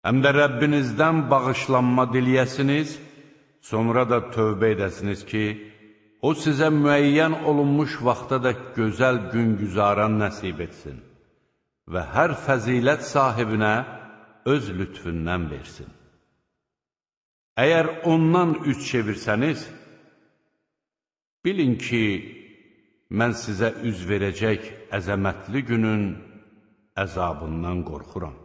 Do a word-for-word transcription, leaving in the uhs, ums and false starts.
həm də Rəbbinizdən bağışlanma diliyəsiniz, sonra da tövbə edəsiniz ki, o sizə müəyyən olunmuş vaxta da gözəl gün güzaran nəsib etsin və hər fəzilət sahibinə öz lütfündən versin. Əgər ondan üç çevirsəniz, bilin ki, mən sizə üz verəcək əzəmətli günün əzabından qorxuram.